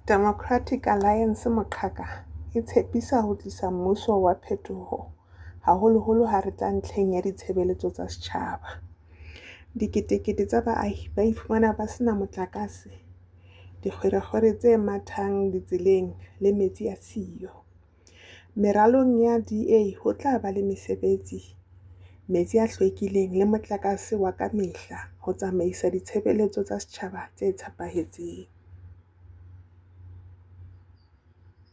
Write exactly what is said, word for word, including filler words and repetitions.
Democratic Alliance moqhaka e tshepisa ho tlisa mmuso wa phetoho, haholoholo ha re tla ntlheng ya ditshebeletso tsa setjhaba. Diketekete tsa baahi ba iphumana ba se na motlakase, dikgwerekgwere tse mathang ditseleng le metsi a siyo. Meralong ya D A ho tla ba le mesebetsi, metsi a hlwekileng le motlakase wa ka mehla ho tsamaisa ditshebeletso tsa setjhaba tse tshepahetseng.